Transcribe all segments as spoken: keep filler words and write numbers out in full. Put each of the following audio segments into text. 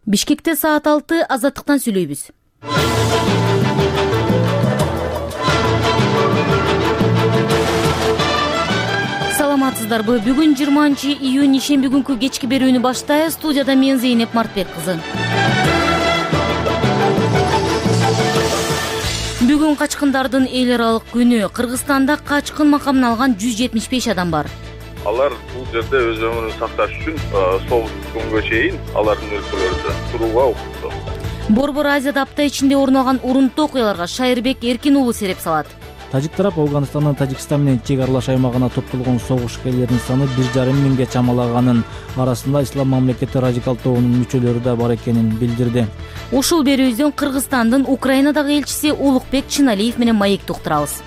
Бишкекте саат алты азаттыктан сүйлөйбүз. Саламатсыздарбы? Бүгүн жыйырманчы июнь ишемби күнкү кечки берүүнү баштайбыз. Студияда мен Зейнеп Мартбек кызы. Бүгүн качкындардын эл аралык күнү. Кыргызстанда качкын макамын алган жүз жетимиш беш адам бар. Алар бул жерде өз өмүрүн сакташ үчүн соғуш күнгө чейин алардын өлкөлөрүндө турууга укуктуу. Борбор Азияда апта ичинде орун алган урунттуу окуяларга Шайырбек Эркин уулу сереп салат. Тажик тарап Афганистандын Тажикстан менен чек аралаш аймагына топтолгон согушкерлердин саны бир жарым миңге чамалаганын, арасында Ислам мамлекети радикал тобунун мүчөлөрү да бар экенин билдирди. Ушул берүүбүздөн Кыргызстандын Украинадагы элчиси Улукбек Чыналиев менен маекти уктурабыз.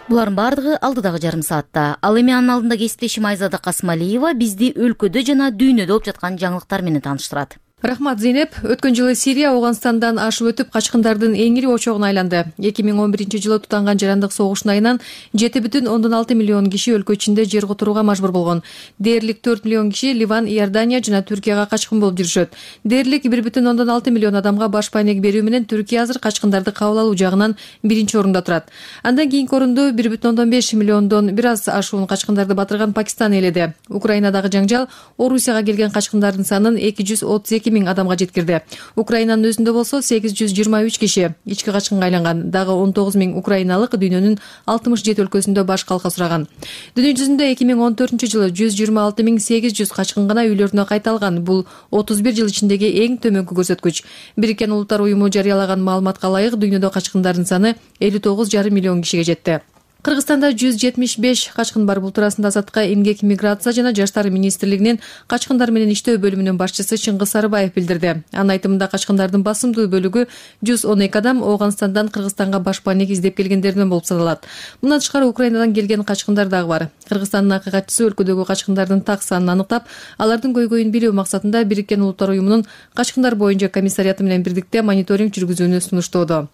Булардын бардыгы алдыдагы жарым саатта. Ал эми анын алдында кесиптешим Айзада Касмалиева бизди өлкөдө жана дүйнөдө болуп жаткан жаңылыктар менен тааныштырат. Рахмат, Зейнеп. Өткөн жылы Сирия Афганистандан ашып өтүп качкындардын эң ири очогуна айланды. эки миң он биринчи жылы тутанган жарандык согуштун айынан жети бүтүн ондон алты миллион киши өлкө ичинде жер которууга мажбур болгон. Дээрлик төрт миллион киши Ливан, Иордания жана Түркияга качкын болуп жүрүшөт. Дээрлик бир бүтүн ондон алты миллион адамга баш пайнек берүү менен Түркия азыр качкындарды кабыл алуу жагынан биринчи орунда турат. Андан кийинки орунду бир бүтүн ондон беш миллиондон бир аз ашуун качкындарды батырган Пакистан ээледи. Украинадагы жаңжал Орусияга келген качкындардын санын эки жүз отуз эки миң адамга жеткирди. Украинанын өзүндө болсо сегиз жүз жыйырма үч киши ички качкынга айланган. Дагы он тогуз миң украиналык дүйнөнүн алтымыш жети өлкөсүндө баш калка сураган. Дүйнө жүзүндө эки миң он төртүнчү жылы жүз жыйырма алты миң сегиз жүз качкын гана үйлөрүнө кайталган. Бул отуз бир жыл ичиндеги эң төмөнкү көрсөткүч. Бириккен Улуттар уюму жарыялаган маалыматка ылайык дүйнөдө качкындардын саны элүү тогуз жарым миллион кишиге жетти. Кыргызстанда жүз жетимиш беш качкын бар. Бул туурасында Азаттыкка эмгек, миграция жана жаштар министрлигинин качкындар менен иштөө бөлүмүнүн башчысы Чыңгыз Сарыбаев билдирди. Анын айтымында качкындардын басымдуу бөлүгү жүз он эки адам Афганистандан Кыргызстанга баш пайнек издеп келгендерден болуп саналат. Мындан тышкары Украинадан келген качкындар дагы бар. Кыргызстандын акыйкатчысы өлкөдөгү качкындардын так санын аныктап, алардын көйгөйүн билүү максатында Бириккен Улуттар уюмунун качкындар боюнча комиссарияты менен бирдикте мониторинг жүргүзүүнү сунуштоодо.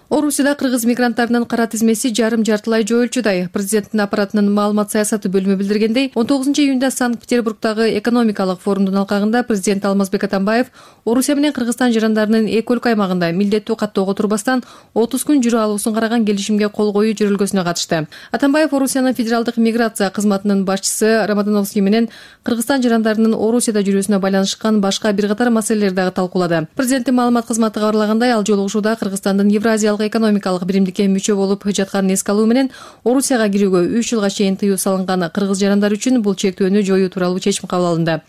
Орусияда кыргыз мигранттарынын кара тизмеси жарым-жартылай жоюлчудай. Президенттин аппаратынын маалымат саясаты бөлүмү билдиргендей, он тогузунчу июнда Санкт-Петербургдагы экономикалык форумдун алкагында президент Алмазбек Атамбаев Орусия менен Кыргызстан жарандарынын эки өлкө аймагында милдеттүү каттоого турбастан отуз күн жүрө алуусун караган келишимге кол коюу жөрөлгөсүнө катышты. Атамбаев Орусиянын федералдык миграция кызматынын башчысы Рамадановский менен Кыргызстан жарандарынын Орусияда жүрүүсүнө байланышкан башка бир катар маселелерди дагы талкуулады. Президенттин маалымат кызматы кабарлагандай, ал жолугушууда Кыргызстандын Евразиялык экономикалык биримдикке мүчө болуп жатканын эске алуу менен Орусияга кирүүгө үч жылга чейин тыюу салынган кыргыз жарандары үчүн бул чектөөнү жоюу тууралуу чечим кабыл алынды.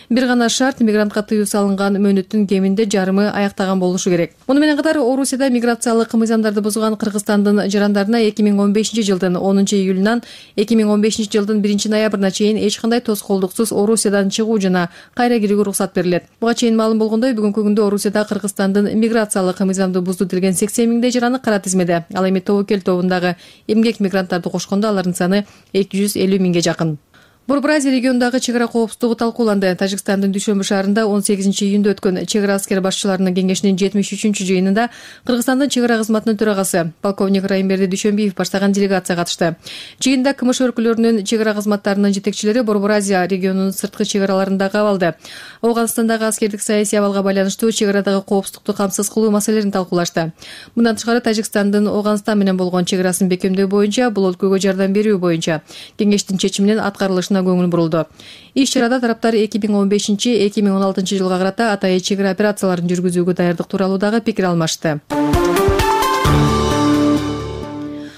Бир гана шарт: мигрантка тыюу салынган мөөнөттүн кеминде жарымы аяктаган болушу керек. Муну менен катар Орусияда миграциялык мыйзамдарды бузган Кыргызстандын жарандарына эки миң он бешинчи жылдын онунчу июлунан эки миң он бешинчи жылдын биринчи ноябрына чейин эч кандай тоскоолдуксуз Орусиядан чыгуу жана кайра кирүүгө уруксат берилет. Буга чейин маалым болгондой, бүгүнкү күндө Орусияда Кыргызстандын миграциялык мыйзамды бузду делген сексен миңдей жараны кара тизмеде. Ал эми тобокел тобундагы эмгек мигранттарды кошкондо алардын саны эки жүз элүү миңге жакын. Борбор Азия регионундагы чек ара коопсуздугу талкууланды. Тажикстандын Дүйшөмбү шаарында он сегизинчи июнда өткөн чек ара аскер башчыларынын кеңешинин жетимиш үчүнчү жыйынында Кыргызстандын чек ара кызматынын төрагасы полковник Райымберди Дүйшөмбиев баштаган делегация катышты. Жыйында КМШ өлкөлөрүнүн чек ара кызматтарынын жетекчилери Борбор Азия регионунун сырткы чек араларында кабылды. Афганистандагы аскердик саясий абалга байланыштуу чек арадагы коопсуздукту камсыз кылуу маселелерин талкуулашты. Мындан тышкары Тажикстандын Афганистан менен болгон чек арасын бекемдөө боюнча, бул өлкөгө жардам берүү боюнча кеңештин чечиминин аткарылышына көңүл бурулду. Иш чарада тараптар эки миң он бешинчи — эки миң он алтынчы жылга карата атайын чек ара операцияларын жүргүзүүгө даярдык тууралуу дагы пикир алмашты.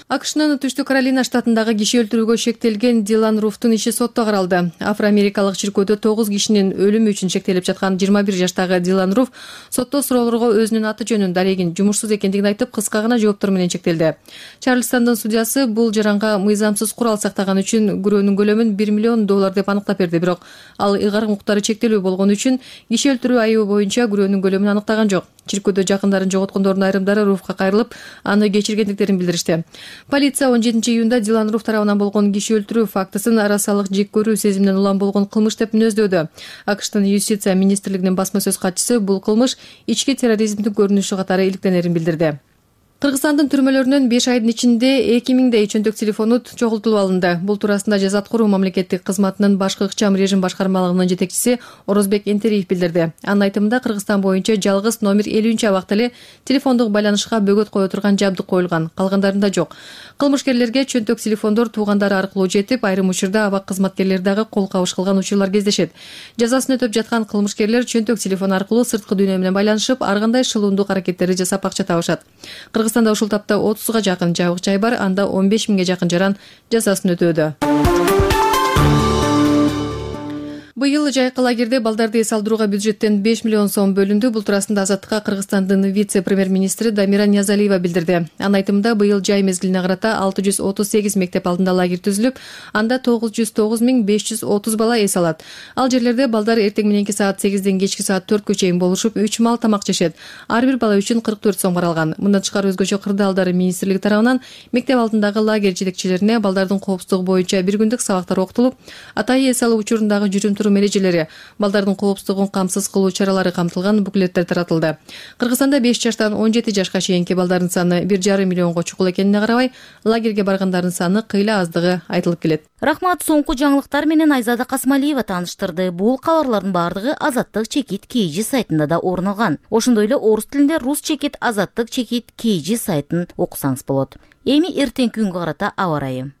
АКШнын Түштүк Каролина штатындагы киши өлтүрүүгө шектелген Дилан Руфтун иши сотто каралды. Афро-америкалык чиркөөдө тогуз кишинин өлүмү үчүн шектелип жаткан жыйырма бир жаштагы Дилан Руф сотто суроолорго өзүнүн аты жөнүн, дарегин, жумушсуз экендигин айтып, кыска гана жооптор менен чектелди. Чарльстандын судьясы бул жаранга мыйзамсыз курал сактаган үчүн күрөөнүн көлөмүн бир миллион доллар деп аныктап берди. Бирок ал ыйгарым укуктары чектелүү болгон үчүн киши өлтүрүү айыбы боюнча күрөөнүн көлөмүн аныктаган жок. Чиркөөдө жакындарын жоготкондордун айрымдары Руфка кайрылып, аны кечиргендиктерин билдиришти. Полиция он жетинчи июнда Дилан Руф тарабынан болгон киши өлтүрүү фактысын арасалык жек көрүү сезиминен улам болгон кылмыш деп мүнөздөөдү. АКШтын юстиция министрлигинин басма сөз катчысы бул кылмыш ички терроризмдин көрүнүшү катары иликтенерин билдирди. Кыргызстандын түрмөлөрүнөн беш айдын ичинде эки миңдей чөнтөк телефонут чогултулуп алынды. Бул туурасында Жаза аткаруу мамлекеттик кызматынын башкы ыкчам режим башкармалыгынын жетекчиси Орозбек Энтериев билдирди. Анын айтымында Кыргызстан боюнча жалгыз номер элүүнчү абакта эле телефондук байланышка бөгөт кое турган жабдык коюлган, калгандарында жок. Кылмышкерлерге чөнтөк телефондор туугандары аркылуу жетип, айрым учурда абак кызматкерлери дагы кол кабыш кылган учурлар кездешет. Жазасын өтөп жаткан кылмышкерлер чөнтөк телефон аркылуу сырткы дүйнө менен байланышып, ар кандай шылуундук аракеттерди жасап акча табышат. Кыргызстанда ушул тапта отузга жакын жабык жай бар, анда он беш миңге жакын жаран жазасын өтөөдө. Быйыл жайкы лагерде балдарды эс алдырууга бюджеттен беш миллион сом бөлүндү. Бул туурасында Азаттыкка Кыргызстандын вице-премьер-министри Дамира Ниязалиева билдирди. Анын айтымында быйыл жай мезгилине карата алты жүз отуз сегиз мектеп алдында лагерь түзүлүп, анда тогуз жүз тогуз миң беш жүз отуз бала эс алат. Ал жерлерде балдар эртең мененки саат сегизден кечки саат төрткө чейин болушуп, үч маал тамак жешет. Ар бир бала үчүн кырк төрт сом каралган. Мындан тышкары өзгөчө кырдаалдар министрлиги тарабынан мектеп алдындагы лагерь жетекчилерине балдардын коопсуздугу боюнча бир күндүк сабактар окутулуп, атайы эс алуу учурундагы жүрүм турум эрежелери, балдардын коопсуздугун камсыз кылуу чаралары камтылган буклеттер таратылды. Кыргызстанда беш жаштан он жети жашка чейинки балдардын саны бир жарым миллионго чукул экенине карабай, лагерге баргандардын саны кыйла аздыгы айтылып келет. Рахмат, соңку жаңылыктар менен Айзада Касмалиева тааныштырды. Бул кабарлардын бардыгы Азаттык чекит кей жи сайтында да орун алган. Ошондой эле орус тилинде Рус чекит Азаттык чекит кей жи сайтын окусаңыз болот. Эми эртеңки күнгө карата аба ырайы.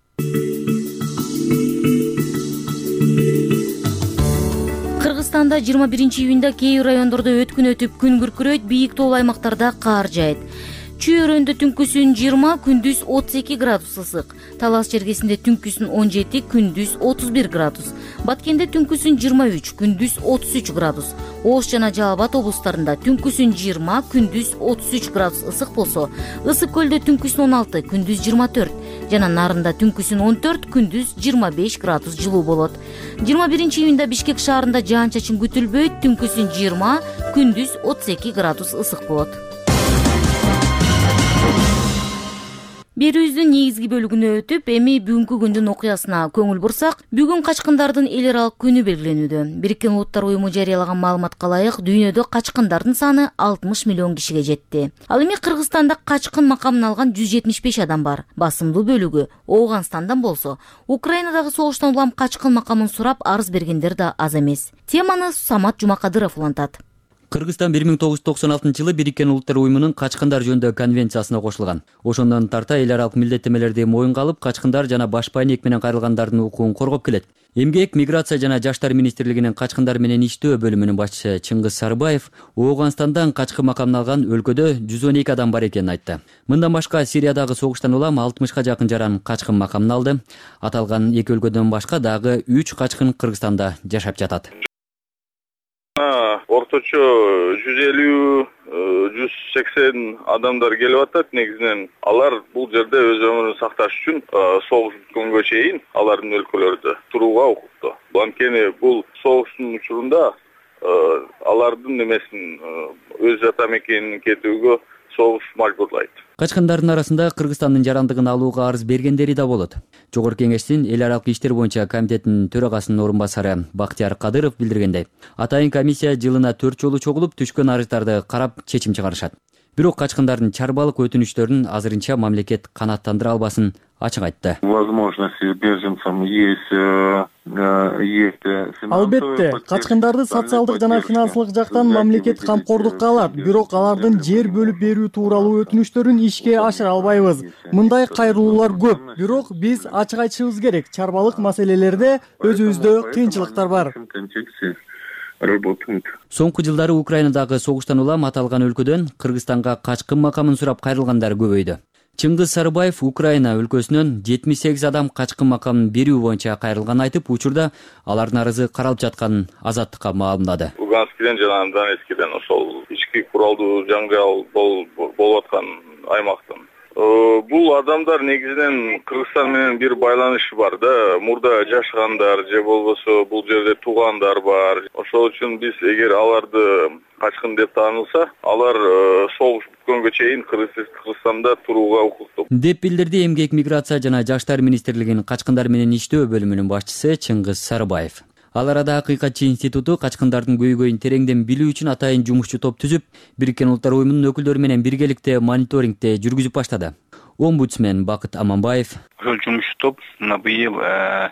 Кыргызстанда жыйырма биринчи июнда кээ бир райондордо өткүн өтүп, күн күркүрөйт, бийик тоолуу аймактарда кар жаайт. Чүй-өрөндө түнкүсүн жыйырма, күндүз отуз эки градус ысык. Талас жергесинде түнкүсүн он жети, күндүз отуз бир градус. Баткенде түнкүсүн жыйырма үч, күндүз отуз үч градус. Ош жана Жалал Абад облустарында түнкүсүн жыйырма, күндүз отуз үч градус ысык болсо, Ысык көлдө түнкүсүн он алты, күндүз жыйырма төрт, жана Нарында түнкүсүн он төрт, күндүз жыйырма беш градус жылуу болот. жыйырма биринчи июнда Бишкек шаарында жаан-чачын күтүлбөйт, түнкүсүн жыйырма, күндүз отуз эки градус ысык болот. Берүүбүздүн негизги бөлүгүнө өтүп, эми бүгүнкү күндүн окуясына көңүл бурсак, бүгүн качкындардын эл аралык күнү белгиленүүдө. Бириккен Улуттар уюму жарыялаган маалыматка ылайык, дүйнөдө качкындардын саны алтымыш миллион кишиге жетти. Ал эми Кыргызстанда качкын макамын алган жүз жетимиш беш адам бар. Басымдуу бөлүгү Ооганстандан болсо, Украинадагы согуштан улам качкын макамын сурап арыз бергендер да аз эмес. Теманы Самат Жумакадыров улантат. Кыргызстан бир миң тогуз жүз токсон алтынчы жылы Бириккен Улуттар уюмунун качкындар жөнүндө конвенциясына кошулган. Ошондон тарта эл аралык милдеттемелерди моюнга алып, качкындар жана башпай ниек менен кайрылгандардын укугун коргоп келет. Эмгек, миграция жана жаштар министрлигинин качкындар менен иштөө бөлүмүнүн башчысы Чыңгыз Сарыбаев Ооганстандан качкын макамын алган өлкөдө жүз он эки адам бар экенин айтты. Мындан башка Сириядагы согуштан улам алтымышка жакын жаран качкын макамын алды. Аталган эки өлкөдөн башка дагы үч качкын Кыргызстанда жашап жатат. Орточо жүз элүү жүз сексен адамдар келип атат. Негизинен алар бул жерде өз өмүрүн сакташ үчүн согуш бүткөнгө чейин алардын өлкөлөрүдө турууга укуктуу. Анткени бул согуштун учурунда алардын немесин өз ата мекенине кетүүгө согуш мажбурлайт. Качкындардын арасында Кыргызстандын жарандыгын алууга арыз бергендери да болот. Жогорку Кеңештин эл аралык иштер боюнча комитетинин төрагасынын орун басары Бактияр Кадыров билдиргендей, атайын комиссия жылына төрт жолу чогулуп, түшкөн арыздарды карап чечим чыгарышат. Бирок качкындардын чарбалык өтүнүчтөрүн азырынча мамлекет канааттандыра албасын ачык айтты. Возможности беженцам есть, есть. Албетте, качкындарды социалдык жана финансылык жактан мамлекет камкордукка алат, бирок алардын жер бөлүп берүү тууралуу өтүнүчтөрүн ишке ашыра албайбыз. Мындай кайрылуулар көп, бирок биз ачык айтышыбыз керек. Чарбалык маселелерде өзүбүздө кыйынчылыктар бар. Соңку жылдары Украинадагы согуштан улам аталган өлкөдөн Кыргызстанга качкын макамын сурап кайрылгандар көбөйдү. Чыңгыз Сарыбаев Украина өлкөсүнөн жетимиш сегиз адам качкын макамын берүү боюнча кайрылганын айтып, учурда алардын арызы каралып жатканын Азаттыкка маалымдады. Луганскиден жана Донецкиден ошол ички куралдуу жаңжал болуп аткан аймактан. Бул адамдар негизинен Кыргызстан менен бир байланышы бар да, мурда жашагандар же болбосо бул жерде туугандар бар. Ошол үчүн биз эгер аларды качкын деп таанылса, алар согуш бүткөнгө чейин Кыргызстанда турууга укуктуу. Деп билдирди Эмгек, миграция жана жаштар министрлигинин качкындар менен иштөө бөлүмүнүн башчысы Чыңгыз Сарыбаев. Ал арада Акыйкатчы институту качкындардын көйгөйүн тереңден билүү үчүн атайын жумушчу топ түзүп, Бириккен Улуттар уюмунун өкүлдөрү менен биргеликте мониторингди жүргүзүп баштады. Омбудсмен Бакыт Аманбаев: Ошол жумушчу топ мына быйыл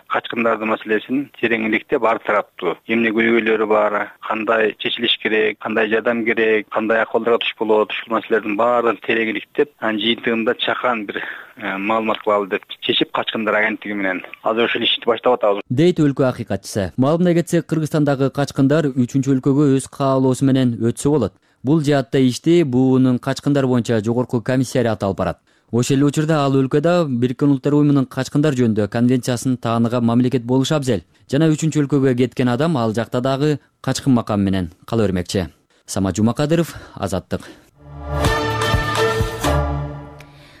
качкындардын маселесин тереңдикте ар тараптуу эмне көйгөйлөрү бар, кандай чечилиш керек, кандай жардам керек, кандай акыбалдарга туш болот, ушул маселелердин баарын тереңдиктеп, анын жыйынтыгында чакан бир маалымат кылалы деп чечип, качкындар агенттиги менен азыр ушул ишти баштап атабыз, дейт өлкө акыйкатчысы. Маалымына кетсек, Кыргызстандагы качкындар үчүнчү өлкөгө өз каалоосу менен өтсө болот. Бул жаатта ишти буунун качкындар боюнча жогорку комиссариаты алып барат. Ошол эле учурда ал өлкөдө Бириккен Улуттар уюмунун качкындар жөнүндө конвенциясын тааныган мамлекет болушу абзел. Жана үчүнчү өлкөгө кеткен адам ал жакта дагы качкын макам менен кала бермекчи. Самат Жумакадыров, Азаттык.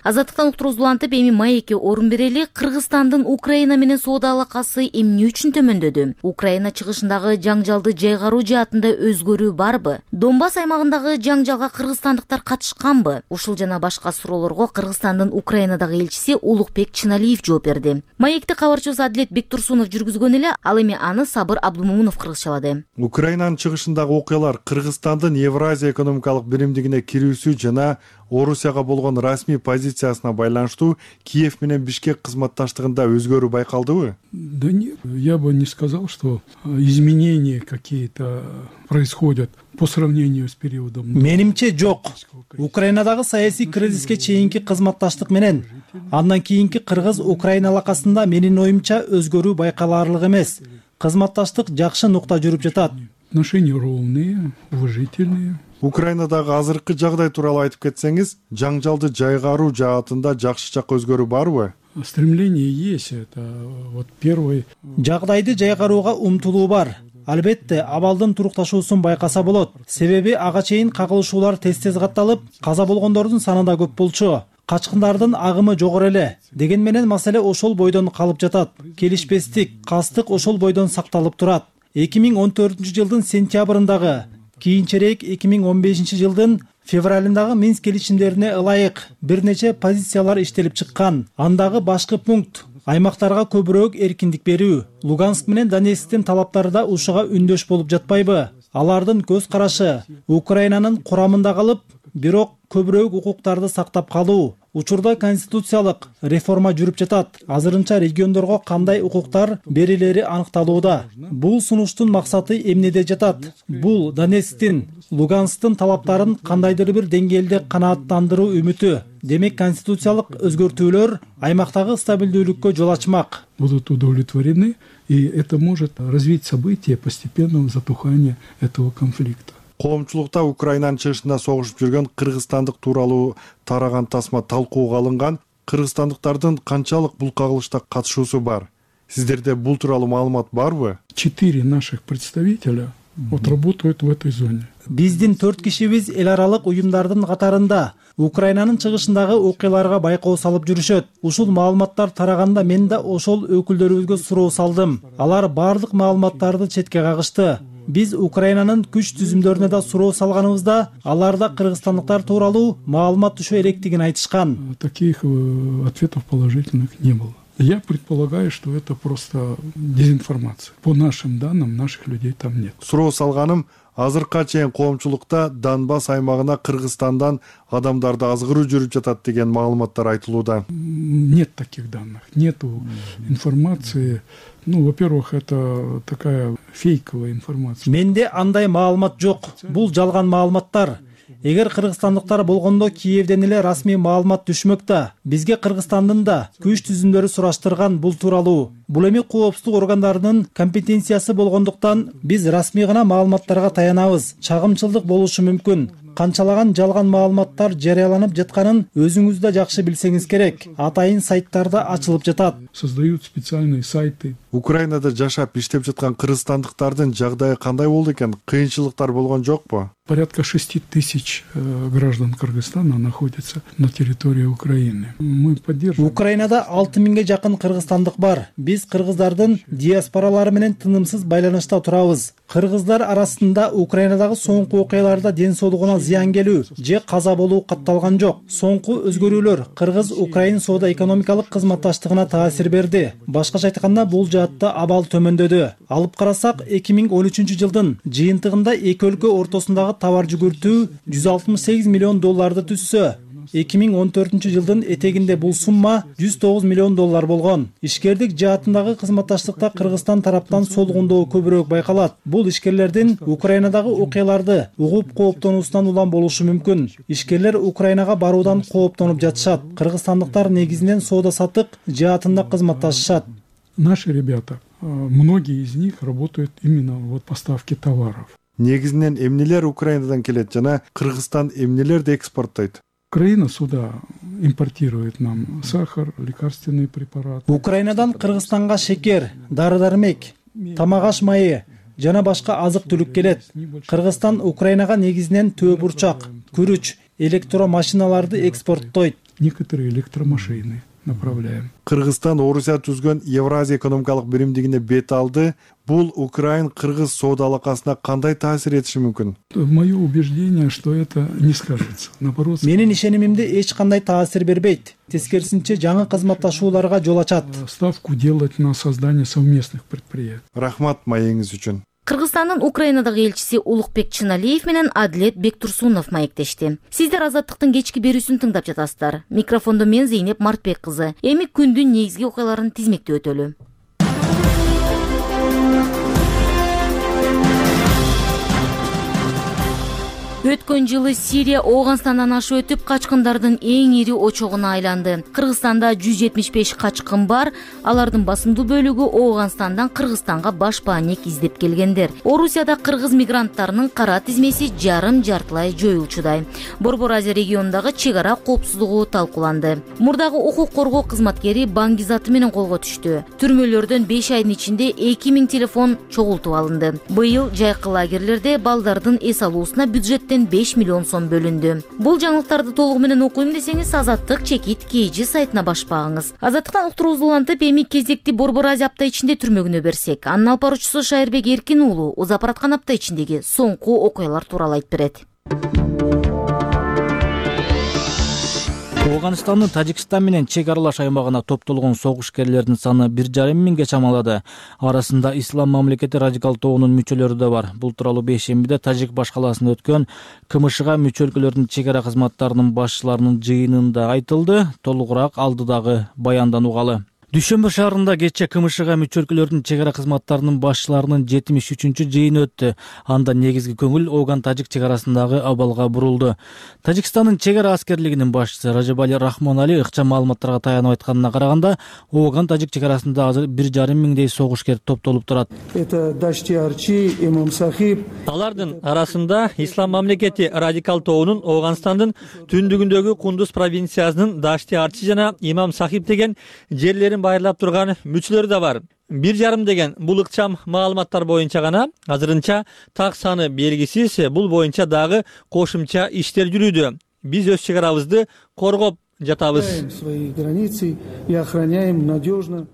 Азаттыктан уктуруубузду улантып, эми маекке орун берели. Кыргызстандын Украина менен соода алакасы эмне үчүн төмөндөдү? Украина чыгышындагы жаңжалды жайгаруу жаатында өзгөрүү барбы? Донбасс аймагындагы жаңжалга кыргызстандыктар катышканбы? Ушул жана башка суроолорго Кыргызстандын Украинадагы элчиси Улукбек Чыналиев жооп берди. Маекти кабарчыбыз Адилет Бектурсунов жүргүзгөн эле, ал эми аны Сабыр Абдумомунов кыргызчалады. Украинанын чыгышындагы окуялар Кыргызстандын Евразия экономикалык биримдигине кирүүсү жана Орусияга болгон расмий позициясына байланыштуу Киев менен Бишкек кызматташтыгында өзгөрүү байкалдыбы? Да нет, я бы не сказал, что изменения какие-то происходят по сравнению с периодом. Менимче жок. Украинадагы саясий кризиске чейинки кызматташтык менен андан кийинки Кыргыз-Украина алакасында менин оюмча өзгөрүү байкалаарлык эмес. Кызматташтык жакшы нукта жүрүп жатат. Отношения ровные, уважительные. Украинадагы азыркы жагдай тууралуу айтып кетсеңиз, жаңжалды жайгаруу жаатында жакшы жакка өзгөрүү барбы? Стремление есть, это вот первый. Жагдайды жайгарууга умтулуу бар. Албетте, абалдын турукташуусун байкаса болот. Себеби ага чейин кагылышуулар тез-тез катталып, каза болгондордун саны да көп болчу. Качкындардын агымы жогору эле. Деген менен маселе ошол бойдон калып жатат. Келишпестик, кастык ошол бойдон сакталып турат. эки миң он төртүнчү жылдын сентябрындагы, кийинчерээк эки миң он бешинчи жылдын февралындагы Минск келишимдерине ылайык бир нече позициялар иштелип чыккан. Андагы башкы пункт аймактарга көбүрөөк эркиндик берүү. Луганск менен Донецктин талаптары да ушуга үндөш болуп жатпайбы? Алардын көз карашы Украинанын курамында калып, бирок көбүрөөк укуктарды сактап калуу. Учурда конституциялык реформа жүрүп жатат. Азырынча региондорго кандай укуктар берилери аныкталууда. Бул сунуштун максаты эмнеде жатат? Бул Донецктин, Луганскдын талаптарын кандайдыр бир деңгээлде канааттандыруу үмүтү. Демек, конституциялык өзгөртүүлөр аймактагы стабилдүүлүккө жол ачмак. Будут удовлетворены, и это может развить события постепенного затухания этого конфликта. Коомчулукта Украинанын чыгышында согушуп жүргөн кыргызстандык тууралуу тараган тасма талкууга алынган. Кыргызстандыктардын канчалык бул кагылышта катышуусу бар? Сиздерде бул тууралуу маалымат барбы? Четыре наших представителя вот работают в этой зоне. Биздин төрт кишибиз эл аралык уюмдардын катарында Украинанын чыгышындагы окуяларга байкоо салып жүрүшөт. Ушул маалыматтар тараганда мен да ошол өкүлдөрүбүзгө суроо салдым. Алар бардык маалыматтарды четке кагышты. Биз Украинанын күч түзүмдөрүнө да суроо салганыбызда, аларда кыргызстандыктар тууралуу маалымат түшө электигин айтышкан. Таких ответов положительных не было. Я предполагаю, что это просто дезинформация. По нашим данным, наших людей там нет. Суроо салганым, азыркыга чейин коомчулукта Донбасс аймагына Кыргызстандан адамдарды азгыруу жүрүп жатат деген маалыматтар айтылууда. Нет таких данных, нету информации. Ну, во-первых, это такая фейковая информация. Менде андай маалымат жок. Бул жалган маалыматтар. Эгер кыргызстандыктар болгондо Киевден эле расмий маалымат түшмөк да. Бизге Кыргызстандын да күч түзүмдөрү сураштырган бул тууралуу. Бул эми коопсуздук органдарынын компетенциясы болгондуктан биз расмий гана маалыматтарга таянабыз. Чагымчылдык болушу мүмкүн. Канчалаган жалган маалыматтар жарыяланып жатканын өзүңүз да жакшы билсеңиз керек. Атайын сайттарда ачылып жатат. Создают специальные сайты. Украинада жашап иштеп жаткан кыргызстандыктардын жагдайы кандай болду экен? Кыйынчылыктар болгон жокпу? Порядка шести тысяч граждан Кыргызстана находятся на территории Украины. Мы поддерживаем. Украинада алты миңге жакын кыргызстандык бар. Биз кыргыздардын диаспоралары менен тынымсыз байланышта турабыз. Кыргыздар арасында Украинадагы соңку окуяларда ден соолугуна зыян келүү же каза болуу катталган жок. Соңку өзгөрүүлөр Кыргыз-Украин соода-экономикалык кызматташтыгына таасир берди. Башкача айтканда, бул жаатта абал төмөндөдү. Алып карасак, эки миң он үчүнчү жылдын жыйынтыгында эки өлкө ортосундагы товар жүгүртүү жүз алтымыш сегиз миллион долларды түзсө, эки миң он төртүнчү жылдын этегинде бул сумма жүз тогуз миллион доллар болгон. Ишкердик жаатындагы кызматташтыкта Кыргызстан тараптан солгундоо көбүрөөк байкалат. Бул ишкерлердин Украинадагы окуяларды угуп кооптонуусунан улам болушу мүмкүн. Ишкерлер Украинага баруудан кооптонуп жатышат. Кыргызстандыктар негизинен соода-саттык жаатында кызматташышат. Наши ребята, многие из них работают именно вот поставки товаров. Негизинен эмнелер Украинадан келет жана Кыргызстан эмнелерди экспорттойт? Украина сюда импортирует нам сахар, лекарственные препараты. Украинадан Кыргызстанга шекер, дары-дармек, тамак-аш майы жана башка азык-түлүк келет. Кыргызстан Украинага негизинен төө бурчак, күрүч, электромашиналарды экспорттойт. Некоторые электромашины направляем. Кыргызстан Орусия түзгөн Евразия экономикалык биримдигине бет алды. Бул Украин-Кыргыз соода алакасына кандай таасир этиши мүмкүн? Мое убеждение, что это не скажется. Наоборот, менин ишенимимде эч кандай таасир бербейт. Тескерисинче жаңы кызматташууларга жол ачат. Ставку делать на создание совместных предприятий. Рахмат маегиңиз үчүн. Кыргызстандын Украинадагы элчиси Улукбек Чыналиев менен Адилет Бектурсунов маектешти. Сиздер Азаттыктын кечки берүүсүн тыңдап жатасыздар. Микрофондо мен Зейнеп Мартбек кызы. Эми күндүн негизги окуяларын тизмектеп өтөлү. Өткөн жылы Сирия Ооганстандан ашып өтүп, качкындардын эң ири очогуна айланды. Кыргызстанда жүз жетимиш беш качкын бар. Алардын басымдуу бөлүгү Ооганстандан Кыргызстанга баш баанек издеп келгендер. Орусияда кыргыз мигранттарынын кара тизмеси жарым-жартылай жоюлчудай. Борбор Азия регионундагы чек ара коопсуздугу талкууланды. Мурдагы укук коргоо кызматкери баңгизаты менен колго түштү. Түрмөлөрдөн беш айдын ичинде эки миң телефон чогултуп алынды. Быйыл жайкы лагерлерде балдардын эс алуусуна бюджеттен беш миллион сом бөлүндү. Бул жаңылыктарды толугу менен окуйм десеңиз, Азаттык чекит кейжи сайтына баш багыңыз. Азаттыктан уктуруубузду улантып, эми кезекти Борбор Азия апта ичинде түрмөгүнө берсек. Анын алып баруучусу Шайырбек Эркин уулу узап бараткан апта ичиндеги соңку окуялар тууралуу айтып берет. Ооганстандын Тажикстан менен чек аралаш аймагына топтолгон согушкерлердин саны бир жарым миңге чамалады. Арасында Ислам мамлекети радикал тобунун мүчөлөрү да бар. Бул тууралуу бейшембиде Тажик баш калаасында өткөн КМШга мүчө өлкөлөрдүн чек ара кызматтарынын башчыларынын жыйынында айтылды. Толугураак алдыдагы баяндан угалы. Дүйшөмбү шаарында кечээ КМШга мүчө өлкөлөрдүн чек ара кызматтарынын башчыларынын жетимиш үчүнчү жыйыны өттү. Анда негизги көңүл Ооган-Тажик чек арасындагы абалга бурулду. Тажикстандын чек ара аскерлигинин башчысы Ражабали Рахмонали ыкчам маалыматтарга таянып айтканына караганда, Ооган-Тажик чек арасында азыр бир жарым миңдей согушкер топтолуп турат. Алардын арасында Ислам мамлекети радикал тобунун Ооганстандын түндүгүндөгү Кундуз провинциясынын Дашти Арчи жана Имам Сахиб деген жерлерин байырлап турган мүчөлөр да бар. Бир жарым деген бул ыкчам маалыматтар боюнча гана, азырынча так саны белгисиз. Бул боюнча дагы кошумча иштер жүрүүдө. Биз өз чек арабызды коргоп жатабыз.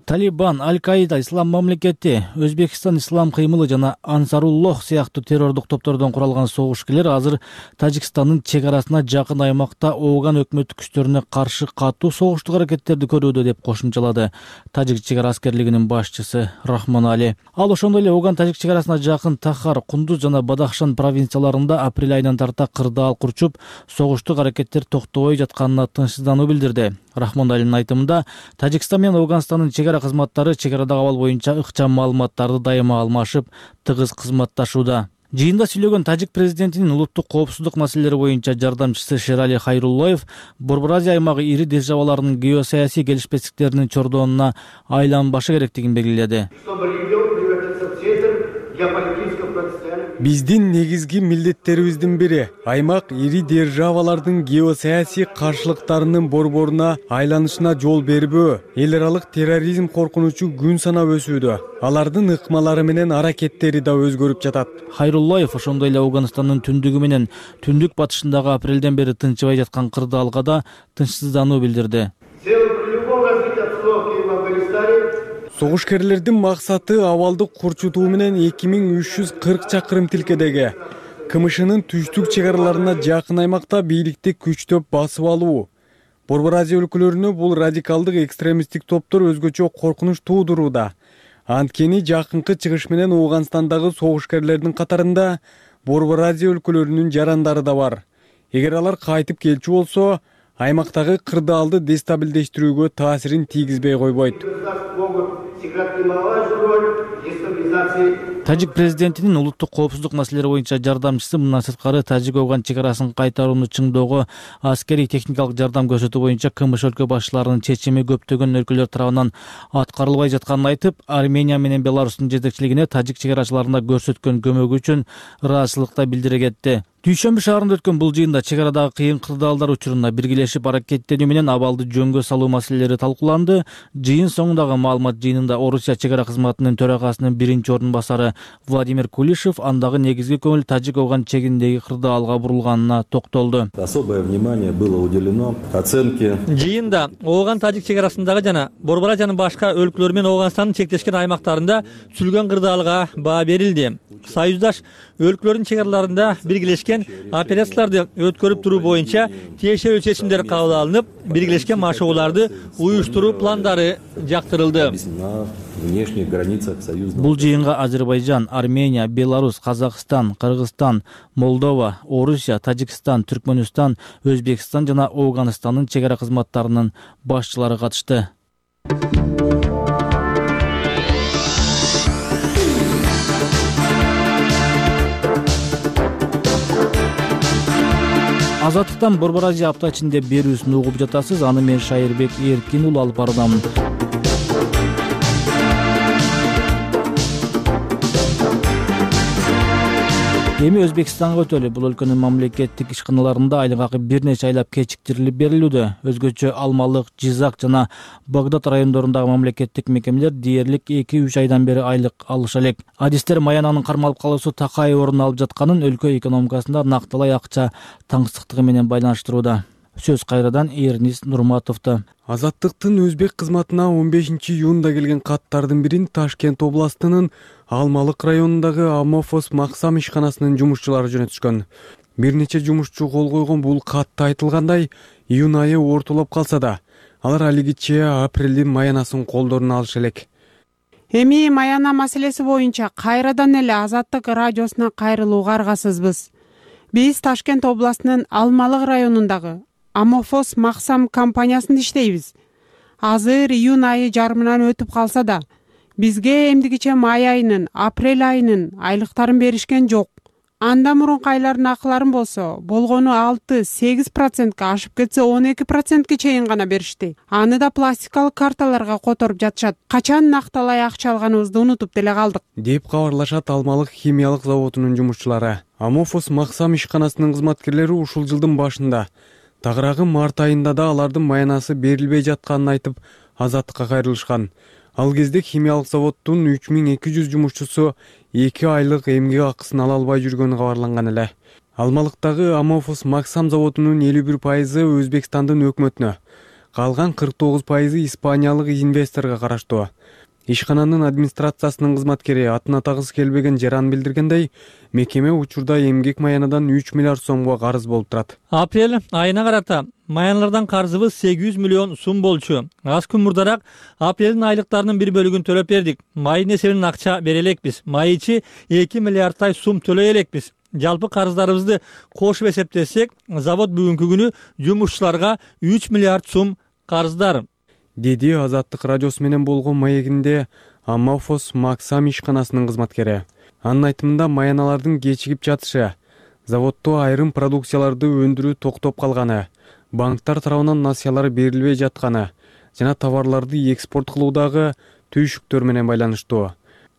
Талибан, Аль-Каида, Ислам мамлекети, Өзбекстан ислам кыймылы жана Ансаруллох сыяктуу террордук топтордон куралган согушкерлер азыр Тажикстандын чек арасына жакын аймакта Ооган өкмөттүк күчтөрүнө каршы катуу согуштук аракеттерди көрүүдө деп кошумчалады Тажик чек ара аскерлигинин башчысы Рахмон Али. Ал ошондой эле Ооган-Тажик чек арасына жакын Тахар, Кундуз жана Бадахшан провинцияларында апрель айынан тарта кырдаал курчуп, согуштук аракеттер токтобой жатканына тынчсыздануу билдирди. Рахмон Алинин айтымында, Тажикстан менен Ооганстандын чек ара кызматтары чек арадагы абал боюнча ыкчам маалыматтарды дайыма алмашып, тыгыз кызматташууда. Жыйында сүйлөгөн Тажик президентинин улуттук коопсуздук маселелери боюнча жардамчысы Шерали Хайруллоев Борбор Азия аймагы ири державаларынын геосаясий келишпестиктеринин чордонуна айланбашы керектигин белгиледи. Биздин негизги милдеттерибиздин бири аймак ири державалардын геосаясий каршылыктарынын борборуна айланышына жол бербөө. Эл аралык терроризм коркунучу күн санап өсүүдө. Алардын ыкмалары менен аракеттери да өзгөрүп жатат. Хайруллоев ошондой эле Ооганстандын түндүгү менен түндүк батышындагы апрелден бери тынчыбай жаткан кырдаалга да тынчсыздануу билдирди. Согушкерлердин максаты абалды курчутуу менен эки миң үч жүз кырк чакырым тилкедеги КМШнын түштүк чек араларына жакын аймакта бийликти күчтөп басып алуу. Борбор Азия өлкөлөрүнө бул радикалдык экстремисттик топтор өзгөчө коркунуч туудурууда. Анткени жакынкы чыгыш менен Ооганстандагы согушкерлердин катарында Борбор Азия өлкөлөрүнүн жарандары да бар. Эгер алар кайтып келчү болсо, аймактагы кырдаалды дестабилдештирүүгө таасирин тийгизбей койбойт. Тажик президентинин улуттук коопсуздук маселелери боюнча жардамчысы мындан сырткары Тажик-Ооган чек арасын кайтарууну чыңдоого аскерий техникалык жардам көрсөтүү боюнча КМШ өлкө башчыларынын чечими көптөгөн өлкөлөр тарабынан аткарылбай жатканын айтып, Армения менен Беларустун жетекчилигине тажик чек арачыларына көрсөткөн көмөгү үчүн ыраазычылык да билдире кетти. Дүйшөмбү шаарында өткөн бул жыйында чек арадагы кыйын кырдаалдар учуруна биргелешип аракеттенүү менен абалды жөнгө салуу маселелери талкууланды. Жыйын соңундагы маалымат жыйынында Орусия чек ара кызматынын төрагасынын биринчи ордун басары Владимир Кулишев андагы негизги көңүл Тажик-Ооган чегиндеги кырдаалга бурулганына токтолду. Особое внимание было уделено оценке. Жыйында Ооган тажик чек арасындагы жана Борбор Азиянын башка өлкөлөр менен Ооганстандын чектешкен аймактарында сүлгөн кырдаалга баа берилди. Союздаш өлкөлөрдүн чек араларында биргелешкен операцияларды өткөрүп туруу боюнча тиешелүү чечимдер кабыл алынып, биргелешкен машыгууларды уюштуруу пландары жактырылды. Бул жыйынга Азербайжан, Армения, Беларусь, Казакстан, Кыргызстан, Молдова, Орусия, Тажикстан, Түркмөнстан, Өзбекстан жана Ооганстандын чек ара кызматтарынын башчылары катышты. Азаттыктан Борбор Азия апта ичинде берүүсүн угуп жатасыз. Аны мен Шайырбек Эркин уулу алып бардым. Эми Өзбекстанга өтөлү. Бул өлкөнүн мамлекеттик ишканаларында айлык акы бир нече айлап кечиктирилип берилүүдө. Өзгөчө Алмалык, Жизак жана Багдад райондорундагы мамлекеттик мекемелер дээрлик эки үч айдан бери айлык алыша элек. Адистер Маянанын кармалып калуусу такай орун алып жатканын өлкө экономикасында накталай акча таңсыктыгы менен байланыштырууда. Сөз кайрадан Эрнис Нурматовдо. Азаттыктын өзбек кызматына он бешинчи июнда келген каттардын бирин Ташкент областынын Алмалык районундагы Амофос Максам ишканасынын жумушчулары жөнөтүшкөн. Бир нече жумушчу кол койгон бул катта айтылгандай, июнь айы ортолоп калса да, алар алигиче апрелдин маянасын колдоруна алыша элек. Эми маяна маселеси боюнча кайрадан эле Азаттык радиосуна кайрылууга аргасызбыз. Биз Ташкент областынын Алмалык районундагы Амофос Максам компаниясында иштейбиз. Азыр июнь айы жарымынан өтүп калса да, бизге эмдигиче май айынын, апрель айынын айлыктарын беришкен жок. Анда мурунку айлардын акыларын болсо, болгону алты сегиз процентке ашып кетсе он эки процентке чейин гана беришти. Аны да пластикалык карталарга которуп жатышат. Качан накталай акча алганыбызды унутуп деле калдык, деп кабарлашат Алмалык химиялык заводунун жумушчулары. Амофос Максам ишканасынын кызматкерлери ушул жылдын башында тагыраагы март айында да алардын маянасы берилбей жатканын айтып, Азаттыкка кайрылышкан. Ал кезде химиялык заводдун үч миң эки жүз жумушчусу эки айлык эмгек акысын ала албай жүргөнү кабарланган эле. Алмалыктагы Амофос Максам заводунун элүү бир пайызы Өзбекстандын өкмөтүнө, калган кырк тогуз пайызы испаниялык инвесторго караштуу. Ишкананын администрациясынын кызматкери атын атагысы келбеген жаран билдиргендей, мекеме учурда эмгек маянадан үч миллиард сомго карыз болуп турат. Апрель айына карата маянлардан карызыбыз сегиз жүз миллион сум болчу. Аз күн мурдараак апрелдин айлыктарынын бир бөлүгүн төлөп бердик. Майдын эсебинен акча бере элекпиз. Май ичи эки миллиардтай сум төлөй элекпиз. Жалпы карыздарыбызды кошуп эсептесек, завод бүгүнкү күнү жумушчуларга үч миллиард сум карыздар, деди Азаттык радиосу менен болгон маегинде Амофос Максам ишканасынын кызматкери. Анын айтымында маяналардын кечигип жатышы, заводдо айрым продукцияларды өндүрүү токтоп калганы, банктар тарабынан насыялар берилбей жатканы жана товарларды экспорт кылуудагы түйшүктөр менен байланыштуу.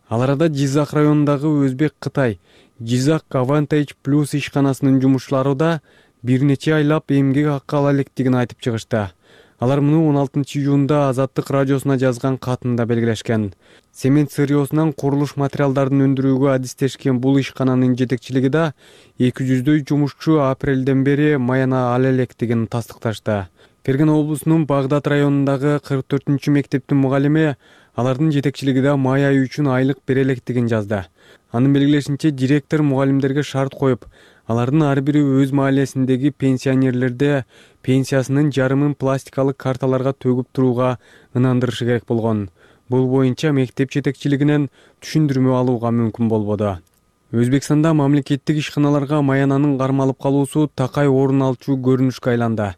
Ал арада Жизак районундагы Өзбек Кытай Жизак Advantage Plus ишканасынын жумушчулары да бир нече айлап эмгек акы ала электигин айтып чыгышты. Алар муну он алтынчы июнда Азаттык радиосуна жазган катында белгилешкен. Цемент сырьосунан курулуш материалдарын өндүрүүгө адистешкен бул ишкананын жетекчилиги да эки жүздөй жумушчу апрелден бери маяна ала электигин тастыкташты. Фергена облусунун Багдад районундагы кырк төртүнчү мектептин мугалими алардын жетекчилиги да май айы үчүн айлык бере электигин жазды. Анын белгилешинче, директор мугалимдерге шарт коюп, алардын ар бири өз маалесиндеги пенсионерлерде пенсиясынын жарымын пластикалык карталарга төгүп турууга ынандырышы керек болгон. Бул боюнча мектеп жетекчилигинен түшүндүрмө алууга мүмкүн болбоду. Өзбекстанда мамлекеттик ишканаларга маянанын кармалып калуусу такай орун алчу көрүнүшкө айланды.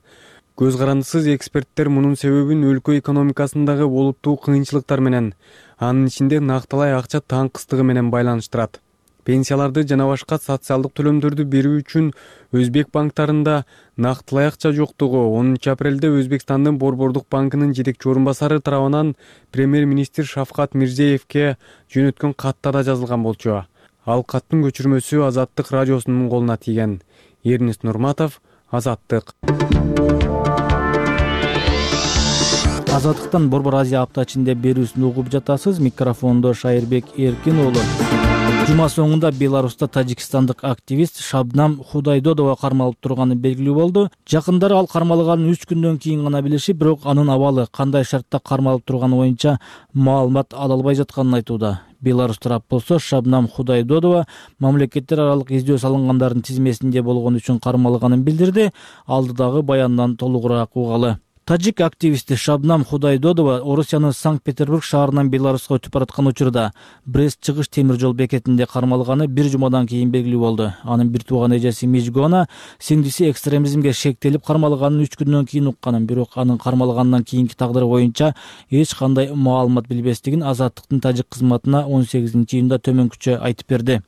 Көз карандысыз эксперттер мунун себебин өлкө экономикасындагы олуттуу кыйынчылыктар менен, анын ичинде накталай акча таңкыстыгы менен байланыштырат. Пенсияларды жана башка социалдык төлөмдөрдү берүү үчүн Өзбек банктарында накталай акча жоктугу онунчу апрелде Өзбекстандын Борбордук банкынын жетекчи орун басары тарабынан премьер-министр Шавкат Мирзиевке жөнөткөн катта да жазылган болчу. Ал каттын көчүрмөсү Азаттык радиосунун колуна тийген. Эрнест Нурматов, Азаттык. Азаттыктан Борбор Азия апта ичинде берүүсүн угуп жатасыз. Микрофондо Шайырбек Эркин уулу. Жума соңунда Беларуста тажикстандык активист Шабнам Худайдодова кармалып турганы белгилүү болду. Жакындары ал кармалганын үч күндөн кийин гана билиши, бирок анын абалы, кандай шартта кармалып турганы боюнча маалымат ала албай жатканын айтууда. Беларусь тарап болсо, Шабнам Худайдодова мамлекеттер аралык издөө салынгандардын тизмесинде болгон үчүн кармалганын билдирди. Алдыдагы баяндан толугураак угалы. Тажик активисти Шабнам Худайдодова Орусиянын Санкт-Петербург шаарынан Беларуска өтүп бараткан учурда Брест чыгыш темир жол бекетинде кармалганы бир жумадан кийин белгилүү болду. Анын бир тууган эжеси Мижгона сиңдиси экстремизмге шектелип кармалганын үч күндөн кийин укканын, бирок анын кармалгандан кийинки тагдыры боюнча эч кандай маалымат билбестигин Азаттыктын тажик кызматына он сегизинчи июнда төмөнкүчө айтып берди.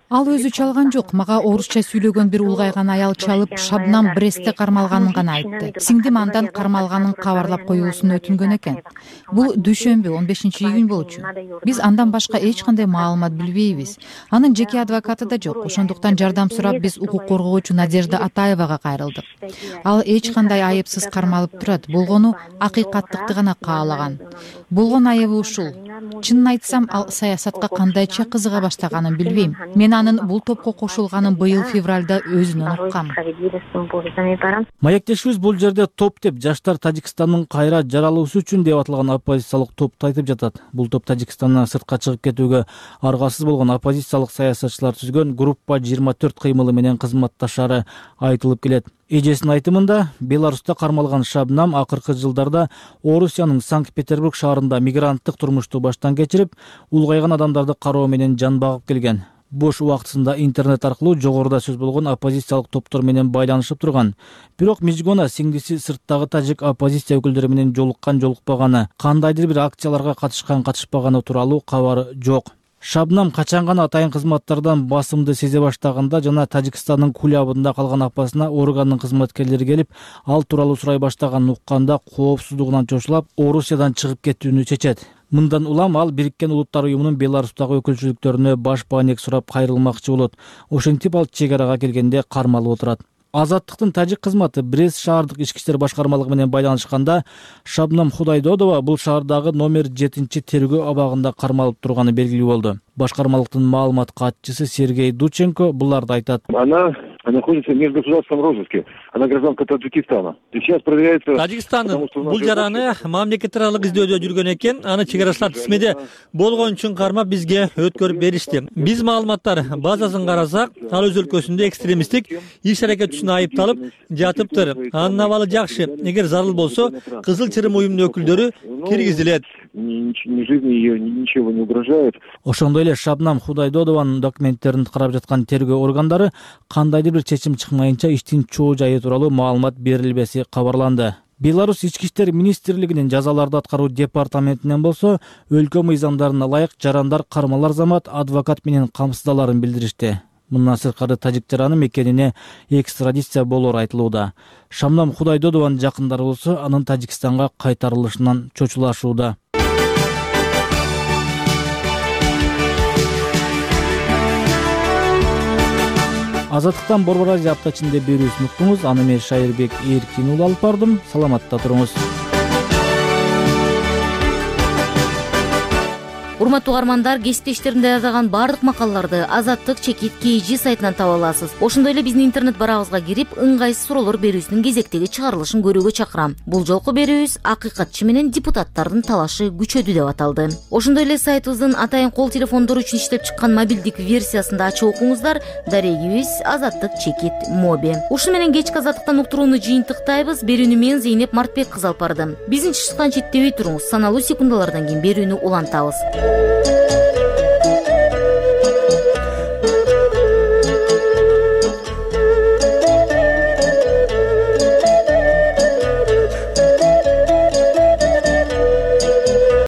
Ал өзү чалган жок, мага орусча сүйлөгөн бир улгайган аял чалып, Шабнам Брестте кармалганын гана айтты. Сиңдим андан кармалганын кабарлап коюусун өтүнгөн экен. Бул дүйшөмбү он бешинчи июнь болчу. Биз андан башка эч кандай маалымат билбейбиз. Анын жеке адвокаты да жок. Ошондуктан жардам сурап биз укук коргоочу Надежда Атаевага кайрылдык. Ал эч кандай айыпсыз кармалып турат. Болгону акыйкаттыкты гана каалаган. Болгон айыбы ушул. Чынын айтсам, ал саясатка кандайча кызыга баштаганын билбейм. Мен анын бул топко кошулганын быйыл февралда өзүнөн уккам. Маектешибиз бул жерде топ деп жаштар Тажикстандын кайра жаралуусу үчүн деп аталган оппозициялык топту айтып жатат. Бул топ Тажикстандан сыртка чыгып кетүүгө аргасыз болгон оппозициялык саясатчылар түзгөн группа жыйырма төрт кыймылы менен кызматташары айтылып келет. Эжесинин айтымында, Беларуста кармалган Шабнам акыркы жылдарда Орусиянын Санкт-Петербург шаарында мигранттык турмушту баштан кечирип, улгайган адамдарды кароо менен жан багып келген. Бош убактысында интернет аркылуу жогоруда сөз болгон оппозициялык топтор менен байланышып турган. Бирок Мижгона сиңдиси сырттагы тажик оппозиция өкүлдөрү менен жолуккан жолукпаганы, кандайдыр бир акцияларга катышкан катышпаганы тууралуу кабары жок. Шабнам качан гана атайын кызматтардан басымды сезе баштаганда жана Тажикстандын кулябында калган апасына органдын кызматкерлери келип, ал тууралуу сурай баштаганын укканда коопсуздугунан чочулап, Орусиядан чыгып кетүүнү чечет. Мындан улам ал Бириккен Улуттар уюмунун Беларустагы өкүлчүлүктөрүнө баш бааник сурап кайрылмакчы болот. Ошентип ал чек арага келгенде кармалып отурат. Азаттыктын тажик кызматы Брест шаардык ички иштер башкармалыгы менен байланышканда, Шабнам Худайдодова бул шаардагы номер жетинчи тергөө абагында кармалып турганы белгилүү болду. Башкармалыктын маалымат катчысы Сергей Дученко буларды айтат. Она находится в межгосударственном розыске. Она гражданка Таджикистана. Сейчас проверяется... Тажикстан бул жараны мамлекеттер аралык издөөдө жүргөн экен. Аны чек арачылар тизмеде болгон үчүн кармап бизге өткөрүп беришти. Биз маалыматтар базасын карасак, ал өз өлкөсүндө экстремисттик иш-аракет үчүн айыпталып жатыптыр. Анын абалы жакшы. Эгер зарыл болсо, Кызыл Чырым уюмунун өкүлдөрү киргизилет. Ничего не угрожает. Ошондой эле Шабнам Худайдодованын документтерин карап жаткан тергөө органдары кандайдыр бир чечим чыкмайынча иштин чоо жайы тууралуу маалымат берилбеси кабарланды. Беларусь ички иштер министрлигинин жазаларды аткаруу департаментинен болсо, өлкө мыйзамдарына ылайык жарандар кармалар замат адвокат менен камсыздаларын билдиришти. Мындан сырткары тажик жараны мекенине экстрадиция болоор айтылууда. Шабнам Худайдодованын жакындары болсо, анын Тажикстанга кайтарылышынан чочулашууда. Азаттыктан Борбор Азия апта ичинде берүүсүн уктуңуз. Аны мен Шайырбек Эркин уулу алып бардым. Саламатта туруңуз. урматтуу угармандар, кесиптештерим даярдаган баардык макалаларды Азаттык чекит кей жи сайтынан таба аласыз. Ошондой эле биздин интернет барагыбызга кирип, ыңгайсыз суроолор берүүсүнүн кезектеги чыгарылышын көрүүгө чакырам. Бул жолку берүүбүз акыйкатчы менен депутаттардын талашы күчөдү деп аталды. Ошондой эле сайтыбыздын атайын кол телефондору үчүн иштеп чыккан мобилдик версиясында ачып окуңуздар. Дарегибиз Азаттык чекит моби. Ушуну менен кечки Азаттыктан уктурууну жыйынтыктайбыз. Берүүнү мен Зейнеп Мартбек кызы алып бардым. Биздин чыгышкан четтебей туруңуз. Саналуу секундалардан кийин берүүнү улантабыз.